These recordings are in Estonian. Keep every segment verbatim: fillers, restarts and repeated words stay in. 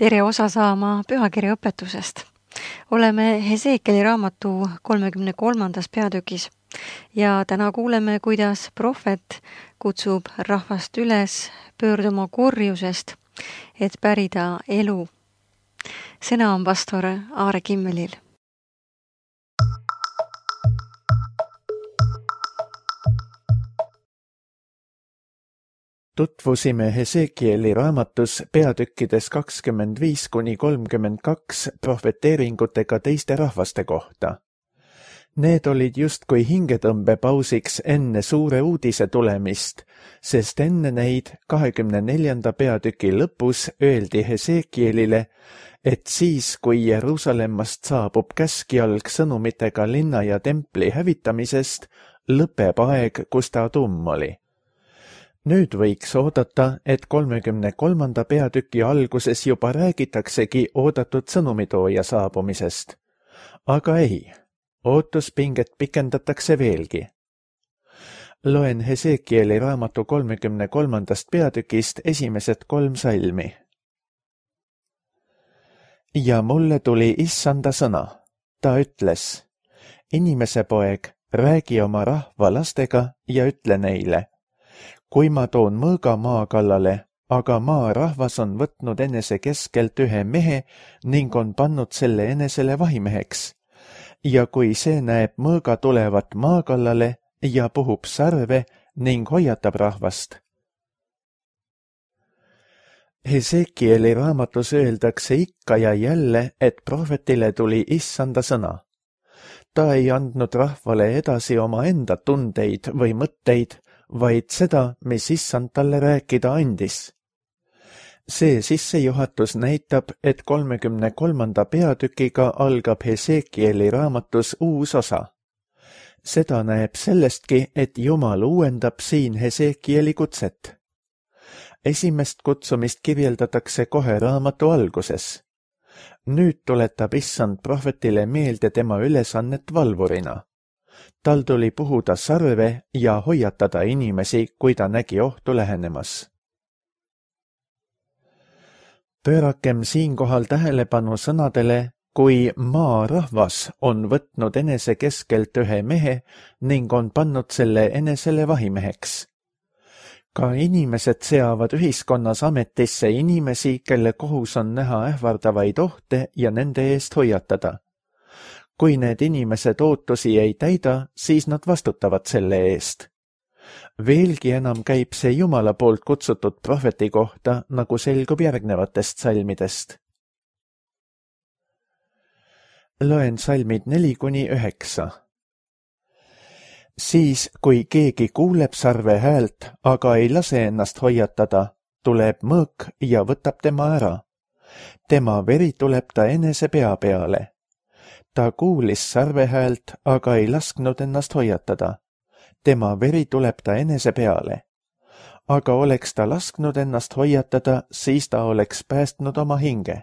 tere osa saama pühakirja õpetusest. Oleme Hesekieli raamatu kolmekümne kolmandas peatükis ja täna kuuleme, kuidas prohvet kutsub rahvast üles pöörduma kurjusest, et pärida elu. Sõna on pastor Aare Kimmelil. Tutvusime Hesekieli raamatus peatükkides kakskümmend viis kuni kolmkümmend kaks prohveteeringutega teiste rahvaste kohta. Need olid justkui hingetõmbepausiks enne suure uudise tulemist, sest enne neid kahekümne neljanda peatüki lõpus öeldi Hesekielile, et siis, kui Jeruusalemmast saabub käskjalg sõnumitega linna ja templi hävitamisest, lõpeb aeg, kus ta tumm oli. Nüüd võiks oodata, et kolmekümne kolmanda peatüki alguses juba räägitaksegi oodatud sõnumitooja saabumisest. Aga ei, ootuspinget pikendatakse veelgi. Loen Hesekieli raamatu kolmekümne kolmandast peatükist esimesed kolm salmi. Ja mulle tuli issanda sõna. Ta ütles, inimese poeg, räägi oma rahva lastega ja ütle neile, kui ma toon mõõga maa kallale, aga maa rahvas on võtnud enese keskelt ühe mehe ning on pannud selle enesele vahimeheks. Ja kui see näeb mõõga tulevat maa kallale ja puhub sarve ning hoiatab rahvast. Hesekieli raamatus öeldakse ikka ja jälle, et prohvetile tuli issanda sõna. Ta ei andnud rahvale edasi oma enda tundeid või mõtteid, vaid seda, mis issand talle rääkida andis. See sissejuhatus näitab, et kolmekümne kolmanda peatükiga algab Hesekieli raamatus uus osa. Seda näeb sellestki, et Jumal uuendab siin Hesekieli kutset. Esimest kutsumist kirjeldatakse kohe raamatu alguses. Nüüd tuletab issand prohvetile meelde tema ülesannet valvurina. Tal tuli puhuda sarve ja hoiatada inimesi, kui ta nägi ohtu lähenemas. Pöörakem siinkohal tähelepanu sõnadele, kui maa rahvas on võtnud enese keskelt ühe mehe ning on pannud selle enesele vahimeheks. Ka inimesed seavad ühiskonnas ametisse inimesi, kelle kohus on näha ähvardavaid ohte ja nende eest hoiatada. Kui need inimesed ootusi ei täida, siis nad vastutavad selle eest. Veelgi enam käib see Jumala poolt kutsutud prohveti kohta, nagu selgub järgnevatest salmidest. Loen salmid neli kuni üheksa. Siis, kui keegi kuuleb sarve häält, aga ei lase ennast hoiatada, tuleb mõõk ja võtab tema ära. Tema veri tuleb ta enese pea peale. Ta kuulis sarve häält, aga ei lasknud ennast hoiatada. Tema veri tuleb ta enese peale. Aga oleks ta lasknud ennast hoiatada, siis ta oleks päästnud oma hinge.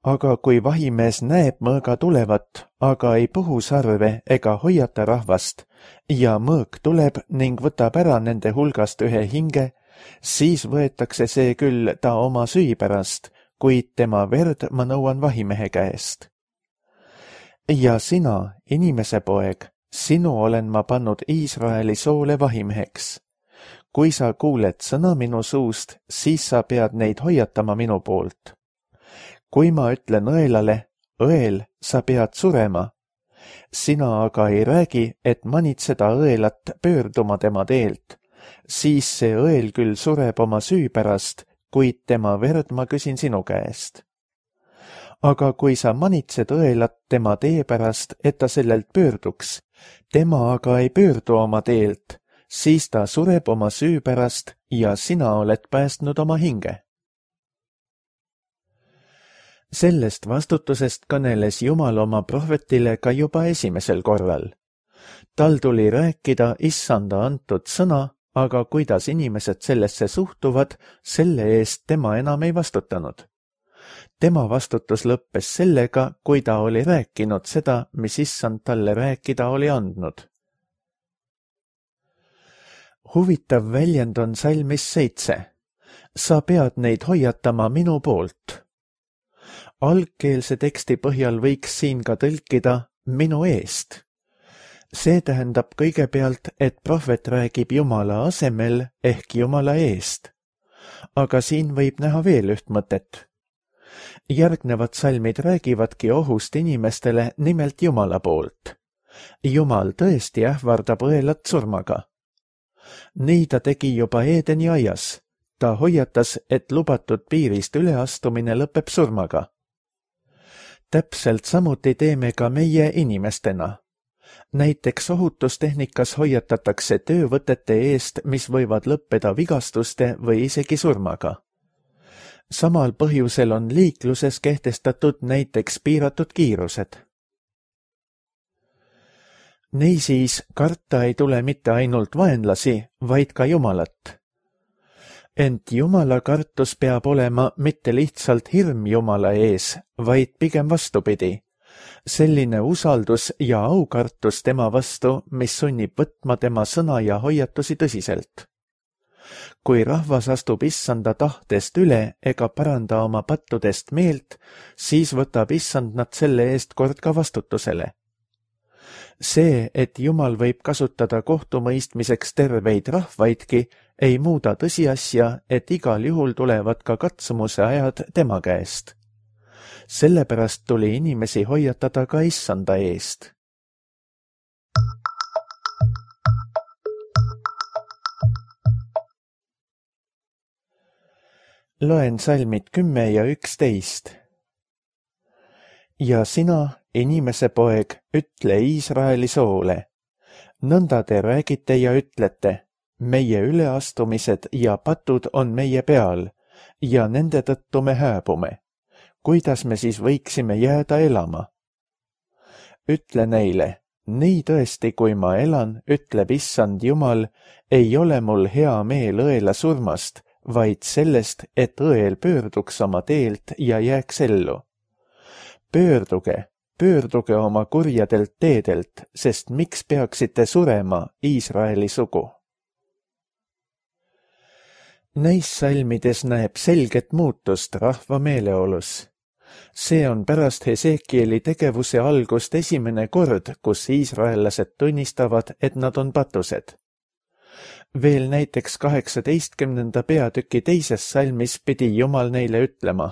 Aga kui vahimees näeb mõõga tulevat, aga ei puhu sarve ega hoiata rahvast, ja mõõk tuleb ning võtab ära nende hulgast ühe hinge, siis võetakse see küll ta oma süü pärast, kuid tema verd ma nõuan vahimehe käest. Ja sina, inimese poeg, sinu olen ma pannud Iisraeli soole vahimeheks. Kui sa kuuled sõna minu suust, siis sa pead neid hoiatama minu poolt. Kui ma ütlen õelale, õel, sa pead surema. Sina aga ei räägi, et manitseda õelat pöörduma tema teelt. Siis see õel küll sureb oma süü pärast, kuid tema verd ma küsin sinu käest. Aga kui sa manitsed õelat tema tee pärast, et ta sellelt pöörduks, tema aga ei pöördu oma teelt, siis ta sureb oma süü pärast ja sina oled päästnud oma hinge. Sellest vastutusest kõneles Jumal oma prohvetile ka juba esimesel korral. Tal tuli rääkida issanda antud sõna, aga kuidas inimesed sellesse suhtuvad, selle eest tema enam ei vastutanud. Tema vastutus lõppes sellega, kui ta oli rääkinud seda, mis issand talle rääkida oli andnud. Huvitav väljend on salmis seitse. sa pead neid hoiatama minu poolt. Algkeelse teksti põhjal võiks siin ka tõlkida minu eest. See tähendab kõigepealt, et prohvet räägib Jumala asemel ehk Jumala eest. Aga siin võib näha veel üht mõtet. Järgnevad salmid räägivadki ohust inimestele nimelt Jumala poolt. Jumal tõesti ähvardab õelat surmaga. Nii ta tegi juba Eedeni aias. Ta hoiatas, et lubatud piirist üleastumine lõpeb surmaga. Täpselt samuti teeme ka meie inimestena. Näiteks ohutustehnikas hoiatatakse töövõtete eest, mis võivad lõppeda vigastuste või isegi surmaga. Samal põhjusel on liikluses kehtestatud näiteks piiratud kiirused. Niisiis, karta ei tule mitte ainult vaenlasi, vaid ka Jumalat. Ent Jumala kartus peab olema mitte lihtsalt hirm Jumala ees, vaid pigem vastupidi. Selline usaldus ja aukartus tema vastu, mis sunnib võtma tema sõna ja hoiatusi tõsiselt. Kui rahvas astub issanda tahtest üle ega paranda oma pattudest meelt, siis võtab issand nad selle eest kord ka vastutusele. See, et Jumal võib kasutada kohtumõistmiseks terveid rahvaidki, ei muuda tõsiasja, et igal juhul tulevad ka katsumuse ajad tema käest. Sellepärast tuli inimesi hoiatada ka issanda eest. Loen salmid kümme ja üksteist. Ja sina, inimese poeg, ütle Iisraeli soole. Nõnda te räägite ja ütlete, meie üleastumised ja patud on meie peal ja nende tõttu me hääbume. Kuidas me siis võiksime jääda elama? Ütle neile, nii tõesti, kui ma elan, ütleb issand Jumal, ei ole mul hea meel õela surmast, vaid sellest, et õel pöörduks oma teelt ja jääks ellu. Pöörduge, pöörduge oma kurjadelt teedelt, sest miks peaksite surema, Iisraeli sugu? Neis salmides näeb selget muutust rahva meeleolus. See on pärast Hesekieli tegevuse algust esimene kord, kus iisraellased tunnistavad, et nad on patused. Veel näiteks kaheksateistkümnenda peatüki teises salmis pidi Jumal neile ütlema.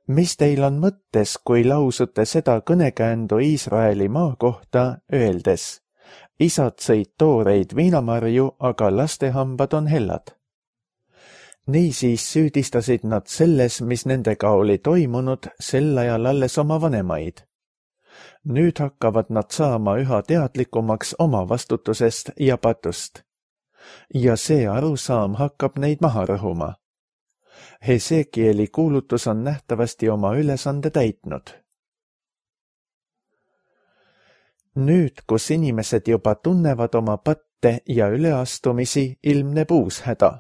Mis teil on mõttes, kui lausute seda kõnekäändu Iisraeli maa kohta, öeldes, isad sõid tooreid viinamarju, aga lastehambad on hellad? Niisiis süüdistasid nad selles, mis nendega oli toimunud, sel ajal alles oma vanemaid. Nüüd hakkavad nad saama üha teadlikumaks oma vastutusest ja patust. Ja see arusaam hakkab neid maha rõhuma. Hesekieli kuulutus on nähtavasti oma ülesande täitnud. Nüüd, kus inimesed juba tunnevad oma patte ja üleastumisi, ilmneb uus häda.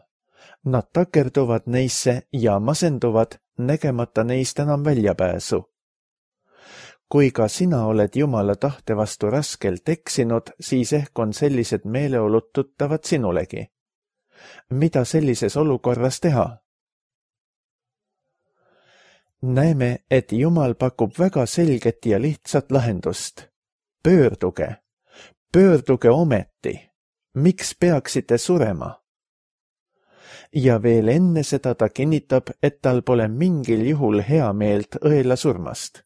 Nad takerduvad neisse ja masenduvad, nägemata neist enam väljapääsu. Kui ka sina oled Jumala tahte vastu raskelt eksinud, siis ehk on sellised meeleolud tuttavad sinulegi. Mida sellises olukorras teha? Näeme, et Jumal pakub väga selget ja lihtsat lahendust. Pöörduge, pöörduge ometi. Miks peaksite surema? Ja veel enne seda ta kinnitab, et tal pole mingil juhul hea meelt õela surmast.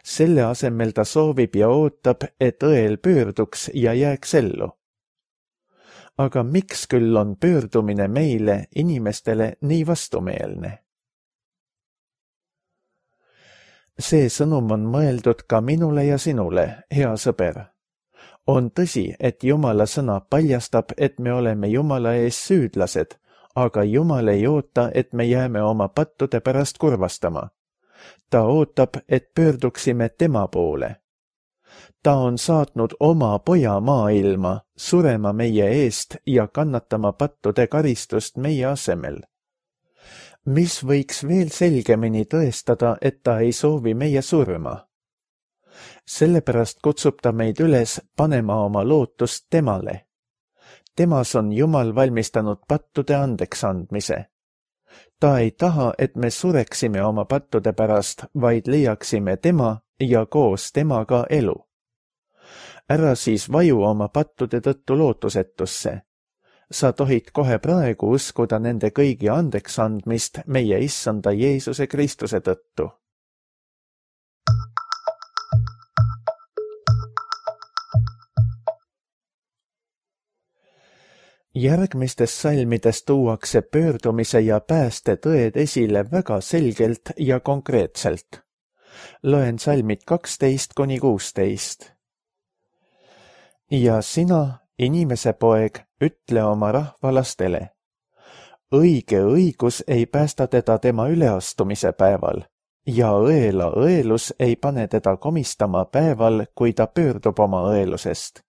Selle asemel ta soovib ja ootab, et õel pöörduks ja jääks ellu. Aga miks küll on pöördumine meile, inimestele, nii vastumeelne? See sõnum on mõeldud ka minule ja sinule, hea sõber. On tõsi, et Jumala sõna paljastab, et me oleme Jumala ees süüdlased, aga Jumal ei oota, et me jääme oma pattude pärast kurvastama. Ta ootab, et pöörduksime tema poole. Ta on saatnud oma poja maailma, surema meie eest ja kannatama pattude karistust meie asemel. Mis võiks veel selgemini tõestada, et ta ei soovi meie surma? Sellepärast kutsub ta meid üles panema oma lootust temale. Temas on Jumal valmistanud pattude andeks andmise. ta ei taha, et me sureksime oma pattude pärast, vaid leiaksime tema ja koos temaga elu. Ära siis vaju oma pattude tõttu lootusetusse. Sa tohid kohe praegu uskuda nende kõigi andeks andmist meie issanda Jeesuse Kristuse tõttu. Järgmistes salmides tuuakse pöördumise ja pääste tõed esile väga selgelt ja konkreetselt. Loen salmid kaksteist kuni kuusteist. Ja sina, inimese poeg, ütle oma rahvalastele. Õige õigus ei päästa teda tema üleastumise päeval ja õela õelus ei pane teda komistama päeval, kui ta pöördub oma õelusest.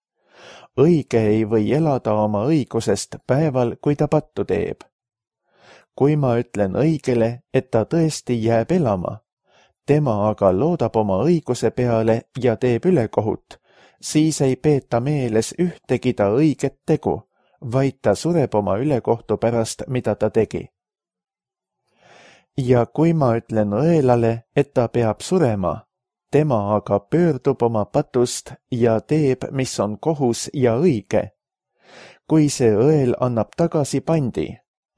Õige ei või elada oma õigusest päeval, kui ta pattu teeb. Kui ma ütlen õigele, et ta tõesti jääb elama, tema aga loodab oma õiguse peale ja teeb ülekohut, siis ei peeta meeles ühtegi ta õiget tegu, vaid ta sureb oma ülekohtu pärast, mida ta tegi. Ja kui ma ütlen õelale, et ta peab surema, tema aga pöördub oma patust ja teeb, mis on kohus ja õige. Kui see õel annab tagasi pandi,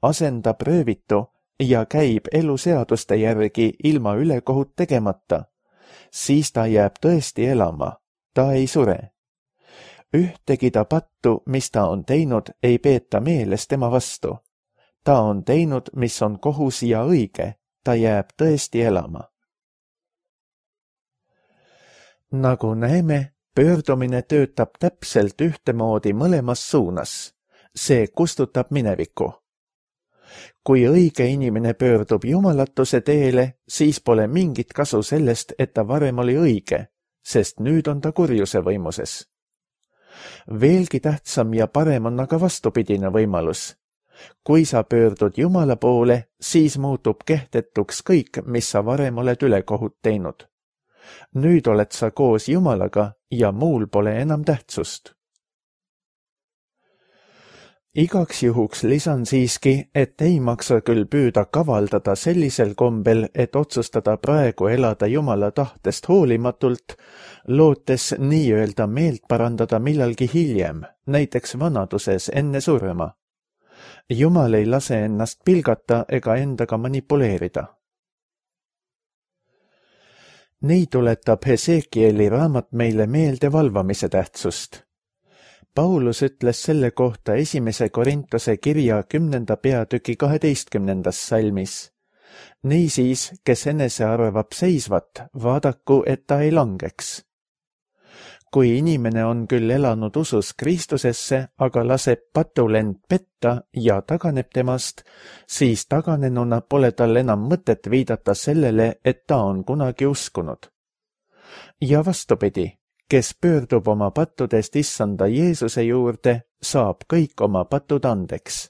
asendab röövitu ja käib eluseaduste järgi ilma ülekohut tegemata, siis ta jääb tõesti elama, ta ei sure. Ühtegi ta pattu, mis ta on teinud, ei peeta meeles tema vastu. Ta on teinud, mis on kohus ja õige, ta jääb tõesti elama. Nagu näeme, pöördumine töötab täpselt ühtemoodi mõlemas suunas. See kustutab minevikku. Kui õige inimene pöördub jumalatuse teele, siis pole mingit kasu sellest, et ta varem oli õige, sest nüüd on ta kurjuse võimuses. Veelgi tähtsam ja parem on aga vastupidine võimalus. Kui sa pöördud Jumala poole, siis muutub kehtetuks kõik, mis sa varem oled ülekohut teinud. Nüüd oled sa koos Jumalaga ja muul pole enam tähtsust. Igaks juhuks lisan siiski, et ei maksa küll püüda kavaldada sellisel kombel, et otsustada praegu elada Jumala tahtest hoolimatult, lootes nii-öelda meelt parandada millalgi hiljem, näiteks vanaduses enne surma. Jumal ei lase ennast pilgata ega endaga manipuleerida. Nii tuletab Hesekieli raamat meile meelde valvamise tähtsust. Paulus ütles selle kohta esimese Korintuse kirja kümnenda peatüki kaheteistkümnendas salmis. Niisiis, kes enese arvab seisvat, vaadaku, et ta ei langeks. Kui inimene on küll elanud usus Kristusesse, aga laseb patulend petta ja taganeb temast, siis taganenuna pole tal enam mõtet viidata sellele, et ta on kunagi uskunud. Ja vastupidi, kes pöördub oma pattudest issanda Jeesuse juurde, saab kõik oma patud andeks.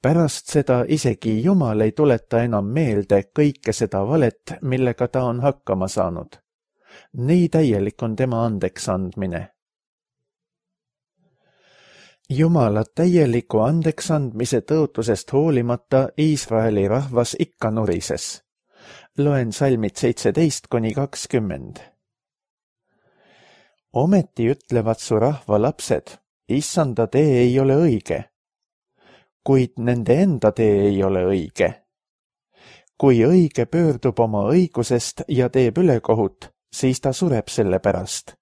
Pärast seda isegi Jumal ei tuleta enam meelde kõike seda valet, millega ta on hakkama saanud. Nii täielik on tema andeks andmine. Jumala täieliku andeks andmise tõotusest hoolimata Iisraeli rahvas ikka nurises. Loen salmid seitseteist kuni kakskümmend. Ometi ütlevad su rahva lapsed, issanda tee ei ole õige, kuid nende enda tee ei ole õige. Kui õige pöördub oma õigusest ja teeb ülekohut, siis ta sureb selle pärast.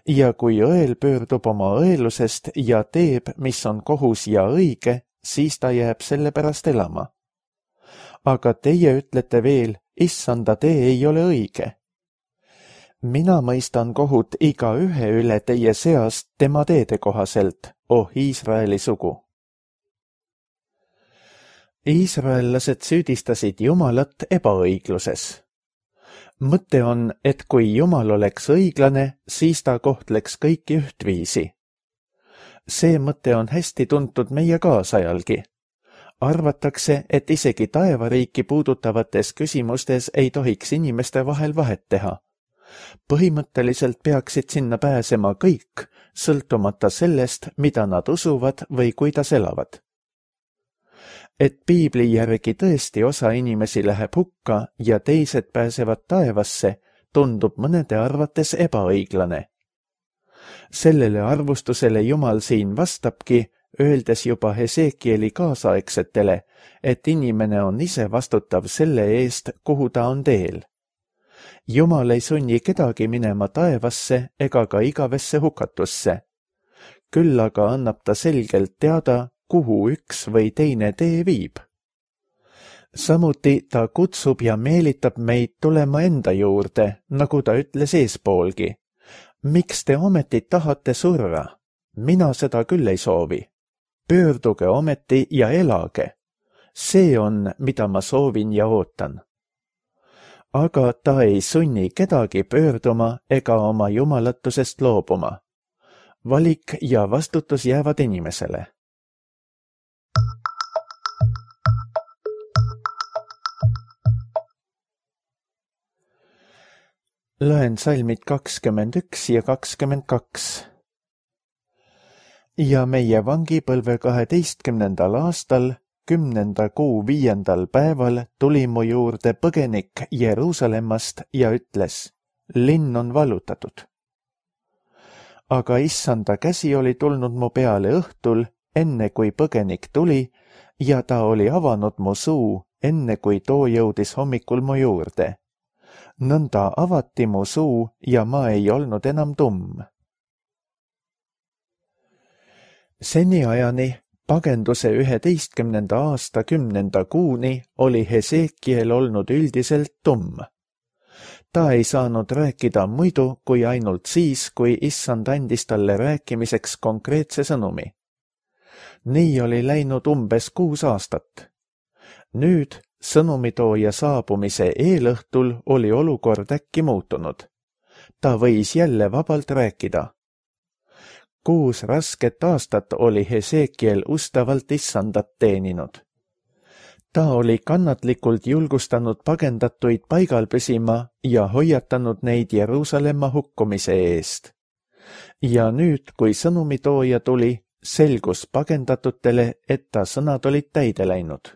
Ja kui õel pöördub oma õelusest ja teeb, mis on kohus ja õige, siis ta jääb selle pärast elama. Aga teie ütlete veel, issanda tee ei ole õige. Mina mõistan kohut iga ühe üle teie seast tema teede kohaselt, oh Iisraeli sugu. Iisraellased süüdistasid Jumalat ebaõigluses. Mõte on, et kui Jumal oleks õiglane, siis ta kohtleks kõiki ühtviisi. See mõte on hästi tuntud meie kaasajalgi. Arvatakse, et isegi taevariiki puudutavates küsimustes ei tohiks inimeste vahel vahet teha. Põhimõtteliselt peaksid sinna pääsema kõik, sõltumata sellest, mida nad usuvad või kuidas elavad. et piibli järgi tõesti osa inimesi läheb hukka ja teised pääsevad taevasse, tundub mõnede arvates ebaõiglane. Sellele arvustusele Jumal siin vastabki, öeldes juba Hesekieli kaasaegsetele, et inimene on ise vastutav selle eest, kuhu ta on teel. Jumal ei sunni kedagi minema taevasse ega ka igavesse hukatusse. Küll aga annab ta selgelt teada, kuhu üks või teine tee viib. Samuti ta kutsub ja meelitab meid tulema enda juurde, nagu ta ütles eespoolgi. Miks te ometi tahate surra? Mina seda küll ei soovi. Pöörduge ometi ja elage. See on, mida ma soovin ja ootan. Aga ta ei sunni kedagi pöörduma ega oma jumalatusest loobuma. Valik ja vastutus jäävad inimesele. Loen salmid kakskümmend üks ja kakskümmend kaks. Ja meie vangipõlve kaheteistkümnendal aastal, kümnenda kuu viiendal päeval tuli mu juurde põgenik Jeruusalemmast ja ütles, linn on vallutatud. Aga issanda käsi oli tulnud mu peale õhtul, enne kui põgenik tuli, ja ta oli avanud mu suu, enne kui too jõudis hommikul mu juurde. Nõnda avati mu suu ja ma ei olnud enam tumm. Seniajani, pagenduse üheteistkümnenda aasta kümnenda kuuni, oli Hesekiel olnud üldiselt tumm. Ta ei saanud rääkida muidu kui ainult siis, kui issand andis talle rääkimiseks konkreetse sõnumi. Nii oli läinud umbes kuus aastat. Nüüd, sõnumitooja saabumise eelõhtul oli olukord äkki muutunud. Ta võis jälle vabalt rääkida. Kuus rasket aastat oli Hesekiel ustavalt issandat teeninud. Ta oli kannatlikult julgustanud pagendatuid paigal püsima ja hoiatanud neid Jeruusalemma hukkumise eest. Ja nüüd, kui sõnumitooja tuli, selgus pagendatutele, et ta sõnad olid täide läinud.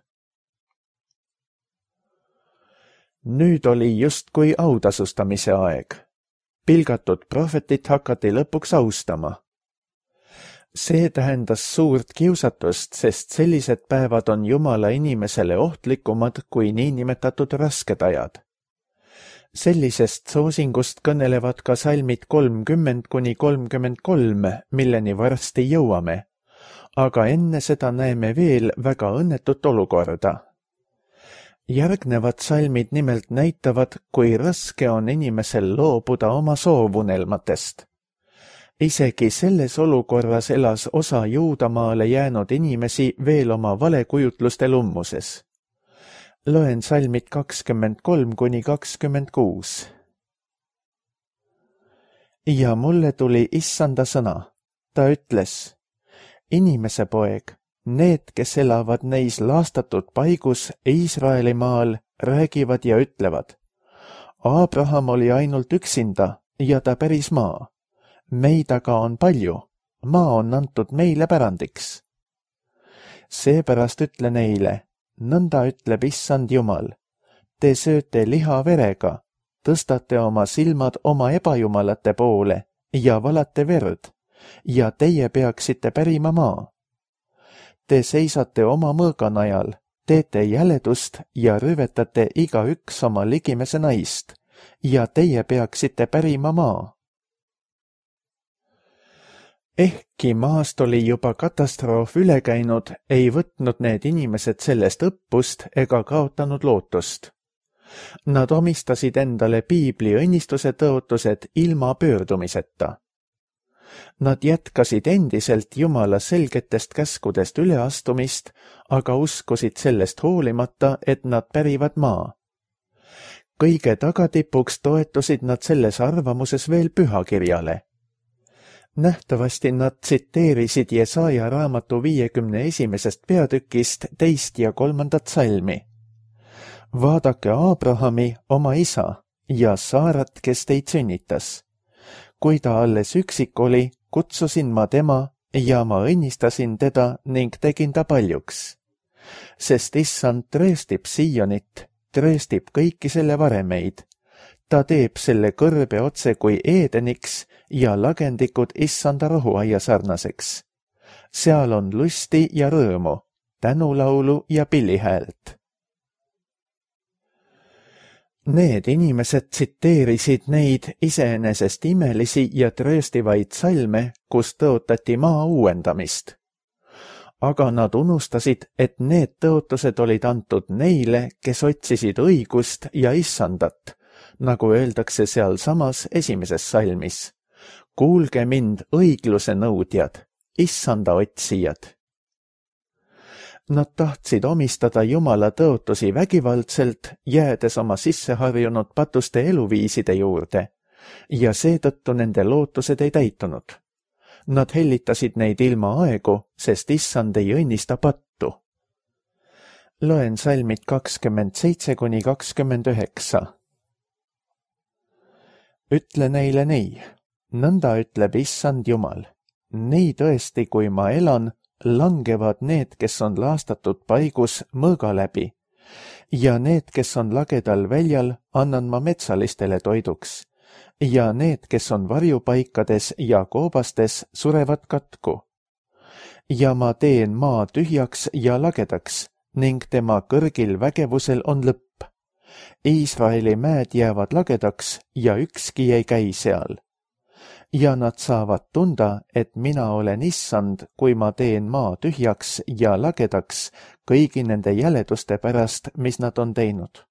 Nüüd oli justkui autasustamise aeg. Pilgatud prohvetit hakati lõpuks austama. See tähendas suurt kiusatust, sest sellised päevad on Jumala inimesele ohtlikumad kui niinimetatud rasked ajad. Sellisest soosingust kõnelevad ka salmid kolmkümmend kuni kolmkümmend kolm, milleni varsti jõuame, aga enne seda näeme veel väga õnnetut olukorda. Järgnevad salmid nimelt näitavad, kui raske on inimesel loobuda oma soovunelmatest. Isegi selles olukorras elas osa Juudamaale jäänud inimesi veel oma valekujutluste lummuses. Loen salmid kakskümmend kolm kuni kakskümmend kuus. Ja mulle tuli issanda sõna. Ta ütles, inimese poeg, need, kes elavad neis laastatud paigus Iisraeli maal, räägivad ja ütlevad, Abraham oli ainult üksinda ja ta päris maa. Meid aga on palju, maa on antud meile pärandiks. Seepärast ütle neile, nõnda ütleb issand Jumal, te sööte liha verega, tõstate oma silmad oma ebajumalate poole ja valate verd, ja teie peaksite pärima maa. Te seisate oma mõõganajal, teete jäledust ja rüvetate igaüks oma ligimese naist, ja teie peaksite pärima maa. Ehkki maast oli juba katastroof üle käinud, ei võtnud need inimesed sellest õppust ega kaotanud lootust. Nad omistasid endale piibli õnnistuse tõotused ilma pöördumiseta. Nad jätkasid endiselt Jumala selgetest käskudest üleastumist, aga uskusid sellest hoolimata, et nad pärivad maa. Kõige tagatipuks toetusid nad selles arvamuses veel pühakirjale. Nähtavasti nad tsiteerisid Jesaja raamatu viiekümne esimesest peatükist teist ja kolmandat salmi. Vaadake Abrahami, oma isa, ja Saarat, kes teid sünnitas. Kui ta alles üksik oli, kutsusin ma tema ja ma õnnistasin teda ning tegin ta paljuks. sest issand trööstib Siionit, trööstib kõiki selle varemeid. Ta teeb selle kõrbe otse kui Eedeniks ja lagendikud issanda rohuaia sarnaseks. Seal on lusti ja rõõmu, tänulaulu ja pillihäält. Need inimesed tsiteerisid neid iseenesest imelisi ja trööstivaid salme, kus tõotati maa uuendamist. Aga nad unustasid, et need tõotused olid antud neile, kes otsisid õigust ja issandat, nagu öeldakse sealsamas esimeses salmis. Kuulge mind, õigluse nõudjad, issanda otsijad. Nad tahtsid omistada Jumala tõotusi vägivaldselt, jäädes oma sisseharjunud patuste eluviiside juurde, ja seetõttu nende lootused ei täitunud. Nad hellitasid neid ilma aegu, sest issand ei õnnista pattu. Loen salmid kakskümmend seitse kuni kakskümmend üheksa. Ütle neile nii, nõnda ütleb issand Jumal. Nii tõesti, kui ma elan, langevad need, kes on laastatud paigus mõõga läbi, ja need, kes on lagedal väljal, annan ma metsalistele toiduks, ja need, kes on varjupaikades ja koobastes, surevad katku. Ja ma teen maa tühjaks ja lagedaks, ning tema kõrgil vägevusel on lõpp. Iisraeli mäed jäävad lagedaks ja ükski ei käi seal. Ja nad saavad tunda, et mina olen issand, kui ma teen maa tühjaks ja lagedaks kõigi nende jäleduste pärast, mis nad on teinud.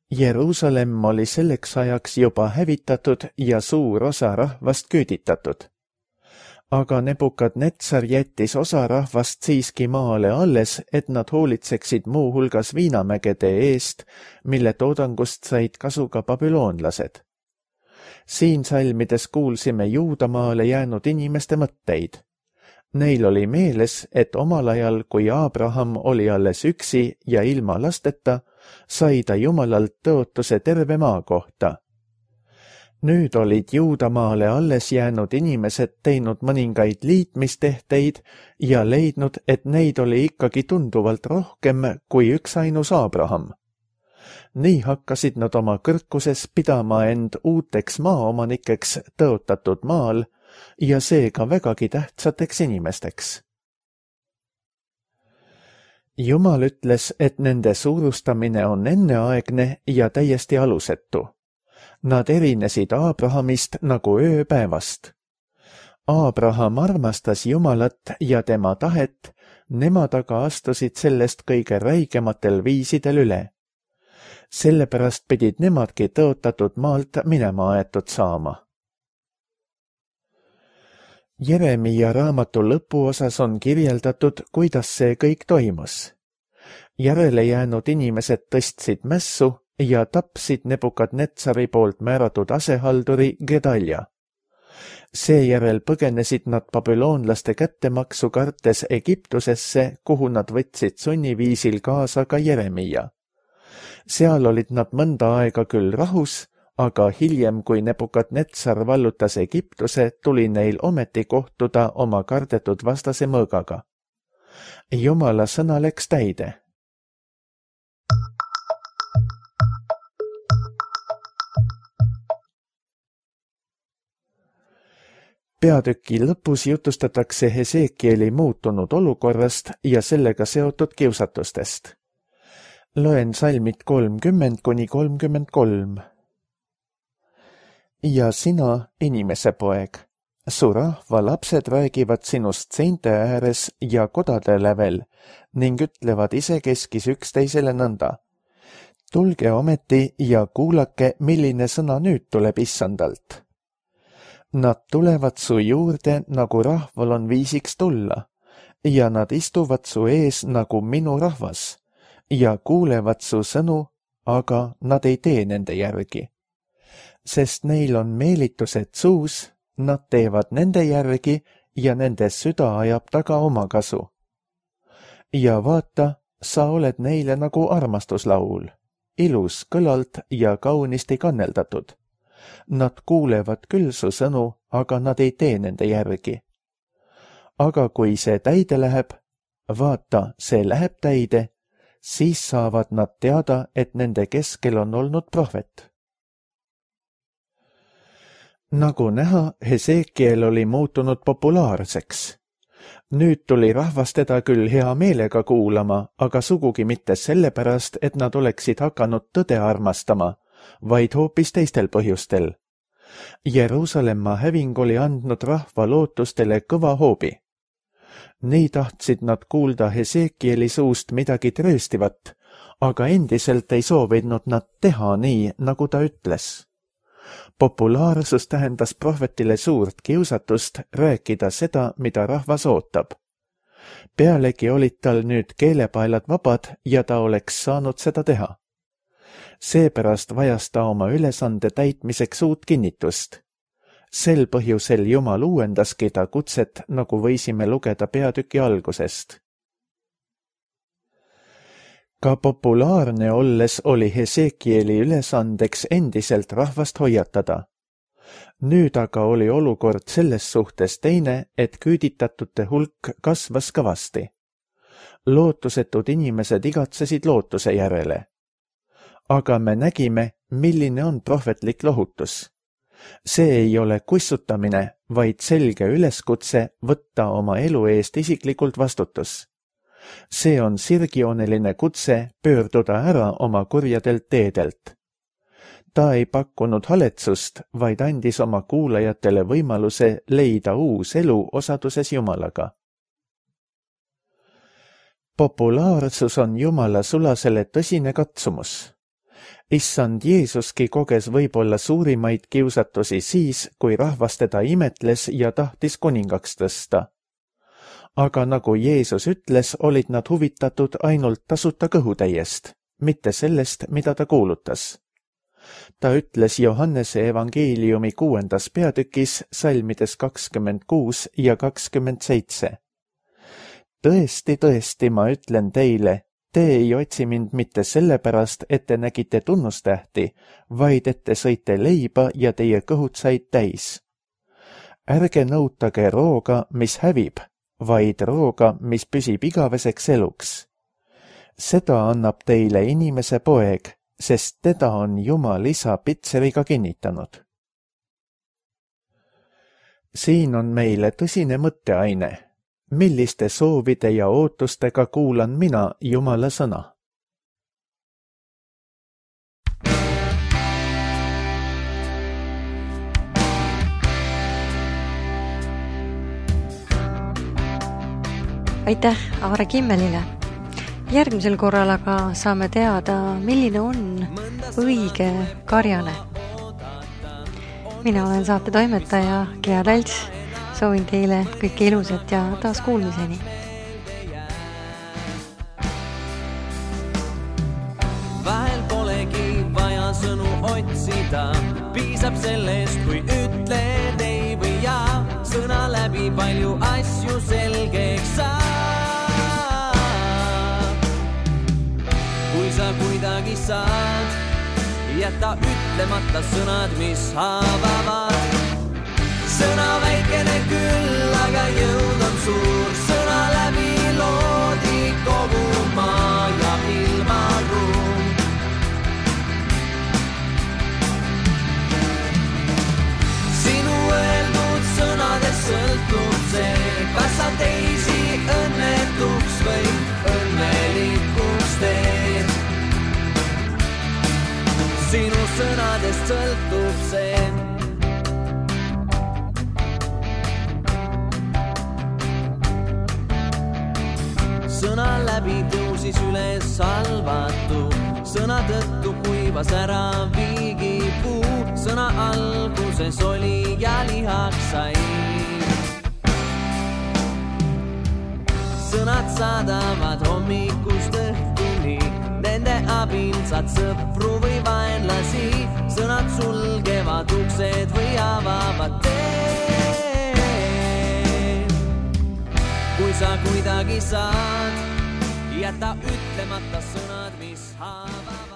Jeruusalemm oli selleks ajaks juba hävitatud ja suur osa rahvast küüditatud. Aga Nebukadnetsar jättis osa rahvast siiski maale alles, et nad hoolitseksid muu hulgas viinamägede eest, mille toodangust said kasu ka babüloonlased. Siin salmides kuulsime Juudamaale jäänud inimeste mõtteid. Neil oli meeles, et omal ajal, kui Abraham oli alles üksi ja ilma lasteta, sai ta Jumalalt tõotuse terve maa kohta. Nüüd olid Juudamaale alles jäänud inimesed teinud mõningaid liitmistehteid ja leidnud, et neid oli ikkagi tunduvalt rohkem kui üks ainus Abraham. Nii hakkasid nad oma kõrkuses pidama end uuteks maaomanikeks tõotatud maal ja seega vägagi tähtsateks inimesteks. Jumal ütles, et nende suurustamine on enneaegne ja täiesti alusetu. Nad erinesid Abrahamist nagu ööpäevast. Abraham armastas Jumalat ja tema tahet, nemad aga astusid sellest kõige räigematel viisidel üle. Sellepärast pidid nemadki tõotatud maalt minema aetud saama. Jeremia raamatu lõpuosas on kirjeldatud, kuidas see kõik toimus. Järele jäänud inimesed tõstsid mässu ja tapsid Nebukadnetsari poolt määratud asehalduri Gedalja. Seejärel põgenesid nad babüloonlaste kättemaksu kartes Egiptusesse, kuhu nad võtsid sunniviisil kaasa ka Jeremia. Seal olid nad mõnda aega küll rahus, aga hiljem, kui Nebukadnetsar vallutas Egiptuse, tuli neil ometi kohtuda oma kardetud vastase mõõgaga. Jumala sõna läks täide. Peatüki lõpus jutustatakse Hesekieli muutunud olukorrast ja sellega seotud kiusatustest. Loen salmid kolmkümmend kuni kolmkümmend kolm. Ja sina, inimese poeg, su rahva lapsed räägivad sinust seinte ääres ja kodade lävel ning ütlevad isekeskis üksteisele nõnda. Tulge ometi ja kuulake, milline sõna nüüd tuleb issandalt. Nad tulevad su juurde, nagu rahval on viisiks tulla, ja nad istuvad su ees nagu minu rahvas, ja kuulevad su sõnu, aga nad ei tee nende järgi. Sest neil on meelitused suus, nad teevad nende järgi ja nende süda ajab taga oma kasu. Ja vaata, sa oled neile nagu armastuslaul, ilus kõlalt ja kaunisti kanneldatud. Nad kuulevad küll su sõnu, aga nad ei tee nende järgi. Aga kui see täide läheb, vaata, see läheb täide, siis saavad nad teada, et nende keskel on olnud prohvet. Nagu näha, Hesekiel oli muutunud populaarseks. Nüüd tuli rahvas teda küll hea meelega kuulama, aga sugugi mitte sellepärast, et nad oleksid hakanud tõde armastama, vaid hoopis teistel põhjustel. Jeruusalemma häving oli andnud rahva lootustele kõva hoobi. Nii tahtsid nad kuulda Hesekieli suust midagi trööstivat, aga endiselt ei soovinud nad teha nii, nagu ta ütles. Populaarsus tähendas prohvetile suurt kiusatust rääkida seda, mida rahvas ootab. Pealegi olid tal nüüd keelepaelad vabad ja ta oleks saanud seda teha. Seepärast vajas ta oma ülesande täitmiseks uut kinnitust. Sel põhjusel Jumal uuendaski ta kutset, nagu võisime lugeda peatüki algusest. Ka populaarne olles oli Hesekieli ülesandeks endiselt rahvast hoiatada. Nüüd aga oli olukord selles suhtes teine, et küüditatute hulk kasvas kõvasti. Lootusetud inimesed igatsesid lootuse järele. Aga me nägime, milline on prohvetlik lohutus. See ei ole kussutamine, vaid selge üleskutse võtta oma elu eest isiklikult vastutus. See on sirgjooneline kutse pöörduda ära oma kurjadelt teedelt. Ta ei pakkunud haletsust, vaid andis oma kuulajatele võimaluse leida uus elu osaduses Jumalaga. Populaarsus on Jumala sulasele tõsine katsumus. Issand Jeesuski koges võib-olla suurimaid kiusatusi siis, kui rahvas teda imetles ja tahtis kuningaks tõsta. Aga nagu Jeesus ütles, olid nad huvitatud ainult tasuta kõhutäiest, mitte sellest, mida ta kuulutas. Ta ütles Johannese evangeeliumi kuuendas peatükis salmides kakskümmend kuus ja kakskümmend seitse. Tõesti, tõesti, ma ütlen teile, te ei otsi mind mitte sellepärast, et te nägite tunnustähti, vaid et te sõite leiba ja teie kõhud said täis. Ärge nõutage rooga, mis hävib, vaid rooga, mis püsib igaveseks eluks. Seda annab teile inimese poeg, sest teda on Jumal isa pitseriga kinnitanud. Siin on meile tõsine mõtteaine. Milliste soovide ja ootustega kuulan mina Jumala sõna? Aitäh Aare Kimmelile. Järgmisel korral aga saame teada, milline on õige karjane. Mina olen saate toimetaja Gea Talts. Soovin teile kõike ilusat ja taas kuulmiseni. Vahel polegi vaja sõnu otsida, piisab sellest, kui ütled ei või jaa. Sõna läbi palju asju selgeks saab. Kui sa kuidagi saad, jäta ütlemata sõnad, mis haavavad. Sõna väikene küll, aga jõud on suur. Sõna läbi loodi kogu maa ja ilmaruum. Sinu öeldud sõnades sõltub see, kas sa teisi õnnetuks või õnnelikuks teed. Sinu sõnadest sõltub see. Sõna läbi tõusis üles salvatu, sõna tõttu kuivas ära viigipuu. Sõna alguses oli ja lihaks sai. Sõnad saadavad hommikust õhtuni, nende abil saad sõpru või vaenlasi. Sõnad sulgevad uksed või avavad tee. Kui sa kuidagi saad, jäta ütlemata sõnad, mis haavavad.